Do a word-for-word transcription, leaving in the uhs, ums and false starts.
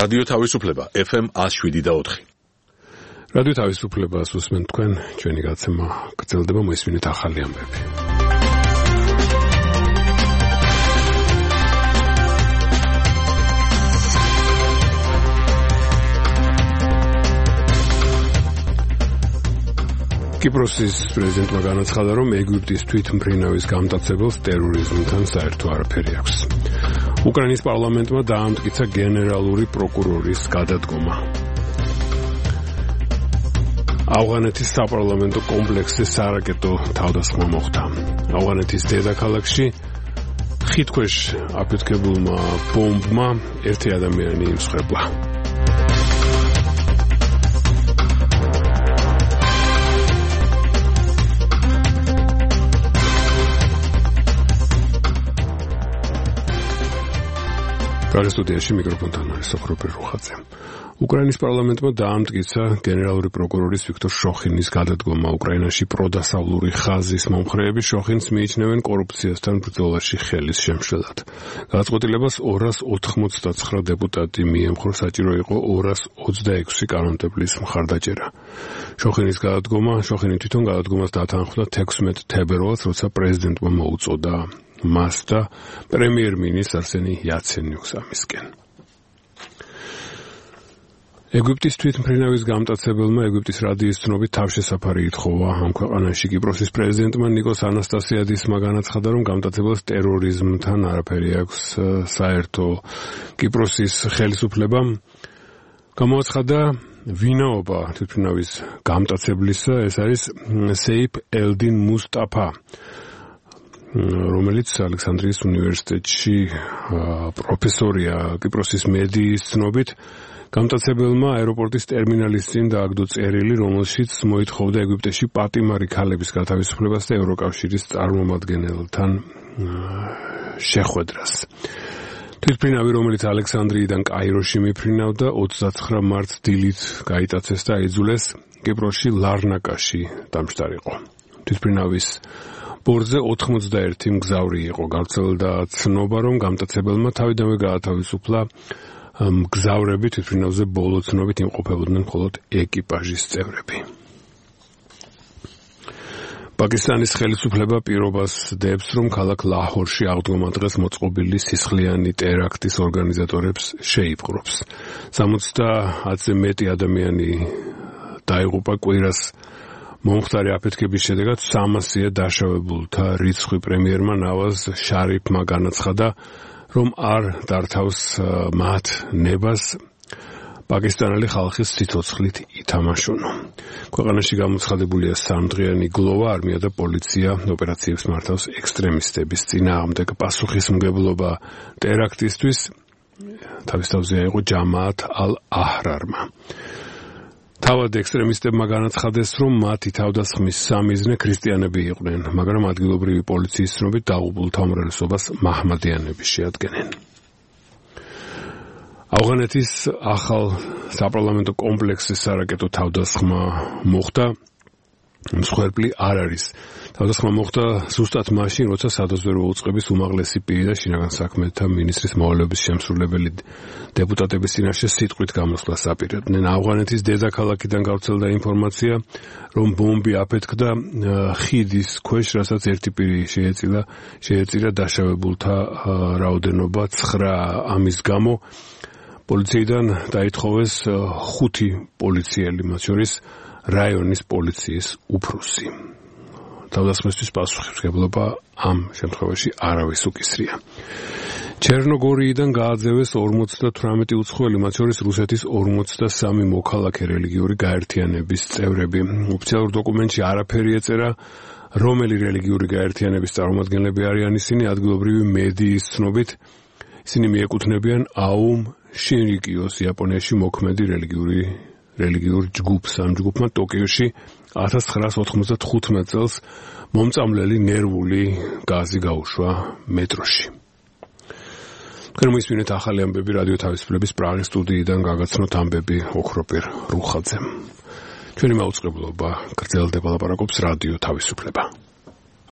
რადიო თავისუფლება ეფ ემ one oh seven და four. რადიო თავისუფლებას უსმენთ თქვენ, ჩვენი გაცემა გრძელდება, მოისმინეთ ახალი ამბები. კიპროსის პრეზიდენტმა განაცხადა, რომ ეგვიპტის თვითმფრინავის გამტაცებელს ტერორიზმთან საერთო არაფერი აქვს. უკრაინის პარლამენტმა დაამტკიცა გენერალური პროკურორის გადადგომა. ავღანეთის საპარლამენტო კომპლექსზე სარაკეტო თავდასხმა მოხდა. ავღანეთის დედაქალაქში ხიდქვეშ აფეთქებულმა ბომბმა ერთი ადამიანი იმსხვერპლა. პრაღის სტუდიაში მიკროფონთან არის სოფრობერ რუხაძე. უკრაინის პარლამენტმა დაამტკიცა გენერალური პროკურორის ვიქტორ შოხინის გადადგომა. უკრაინაში პროდასავლური ხაზის მომხრეები შოხინს მიიჩნევენ კორუფციასთან ბრძოლაში ხელის შემშლელად. გადაწყვეტილებას ორას ოთხმოცდაცხრა დეპუტატი მიემხრო, საჭირო იყო ორას ოცდაექვსი კანონმდებლის მხარდაჭერა. შოხინის გადადგომა, შოხინი თვითონ გადადგომას დათანხმდა თექვსმეტ თებერვალს, როცა პრეზიდენტმა მოუწოდა მას და პრემიერ-მინისტრ არსენი იაცენიუს ამისკენ. ეგვიპტის თვითმფრინავის გამტაცებელმა ეგვიპტის რადიის ცნობით თავშესაფარი ითხოვა ამ ქვეყანაში. კიპროსის პრეზიდენტმა ნიკოს ანასტასიადისმა განაცხადა, რომ გამტაცებელს ტერორიზმთან არაფერი აქვს საერთო. კიპროსის ხელისუფლებამ გამოაცხადა ვინაობა თვითმფრინავის გამტაცებლისა, ეს არის სეიფ ელდინ მუსტაფა, რომელიც ალექსანდრიის უნივერსიტეტში პროფესორია. კიპროსის მედიის ცნობით გამტაცებელმა აეროპორტის ტერმინალის წინ დააგდო წერილი, რომელშიც მოითხოვდა ეგვიპტეში პატიმარი ქალების გათავისუფლებას და ევროკავშირის წარმომადგენელთან შეხვედრას. თვითმფრინავი, რომელიც ალექსანდრიიდან კაიროში მიფრინავდა, ოცდაცხრა მარტს დილით გაიტაცეს და აიძულეს კიპროსში ლარნაკაში დამშტარიყო. თვითმფრინავის ბორზე ოთხმოცდაერთი მგზავრი იყო. გავრცელდა ცნობა, რომ გამტაცებელმა თავიდანვე გაათავისუფლა მგზავრები, თვითმფრინავზე ბოლო ცნობით იმყოფებოდნენ მხოლოდ ეკიპაჟის წევრები. პაკისტანის ხელისუფლება პირობას დებს, რომ ქალაქ ლაჰორში აღდგომა დღეს მოწყობილი სისხლიანი ტერაქტის ორგანიზატორებს შეიპყრობს. სამოცდაათზე მეტი ადამიანი დაიღუპა კვირას მომხდარი აფეთქების შედეგად. სამასია დაშავებულთა რიცხვი. პრემიერმა ნავაზ შარიფმა განაცხადა, რომ არ დართავს მათ ნებას პაკისტანელი ხალხის სიცოცხლით ითამაშუნო. ქვეყანაში გამოცხადებულია სამდღიანი გლოვა, არმია და პოლიცია ოპერაციებს მართავს ექსტრემისტების წინააღმდეგ. პასუხისმგებლობა ტერაქტისთვის თავის თავზე აიღო ჯამაათ ალ-აჰრარმა. თავად ექსტრემისტებმა განაცხადეს, რომ მათი თავდასხმის სამიზნე ქრისტიანები იყვნენ, მაგრამ ადგილობრივი პოლიციის ცნობით დაღუპულთა უმრავლესობას მაჰმადიანები შეადგენენ. ავღანეთის ახალ საპარლამენტო კომპლექსზე სარაკეტო თავდასხმა მოხდა. მსხვერპლი არ არის. თავდასხმა მოხდა ზუსტად მაშინ, როცა სადაზვერვო უწყების უმაღლესი პირი და შინაგან საქმეთა მინისტრის მოვალეობის შემსრულებელი დეპუტატების წინაშე სიტყვით გამოსვლას აპირებდნენ. ავღანეთის დედაქალაქიდან გავრცელდა ინფორმაცია, რომ ბომბი აფეთქდა ხიდის ქვეშ, რასაც ერთი პირი შეეწილა, შეეწირა დაშავებულთა რაოდენობა ცხრა. ამის გამო პოლიციიდან დაითხოვეს ხუთი პოლიციელი, მათ შორის რაიონის პოლიციის უფროსი. თავდასხმისთვის პასუხისმგებლობა ამ შემთხვევაში არავის უკისრია. ჩერნოგორიიდან გააძევეს ორმოცდათვრამეტი უცხოელი, მათ შორის რუსეთის ორმოცდასამი მოქალაქე რელიგიური გაერთიანების წევრები. ოფიციალურ დოკუმენტში არაფერი ეწერა, რომელი რელიგიური გაერთიანების წარმომადგენლები არიან ისინი. ადგილობრივი მედიის ცნობით ისინი მიეკუთვნებიან აუმ შინრიკიოს, იაპონიაში მოქმედი რელიგიური რელიგიურ ჯგუფს. ამ ჯგუფმა ტოკიოში ათას ცხრაას ოთხმოცდათხუთმეტ წელს მომწამლელი ნერვული გაზი გაუშვა მეტროში. თქვენ მოისმინეთ ახალი ამბები რადიო თავისუფლების პრაღის სტუდიიდან გაგაცნოთ ამბები ოქროპირ რუხაძემ. ჩვენი მაუწყებლობა გრძელდება, ლაპარაკობს რადიო თავისუფლება.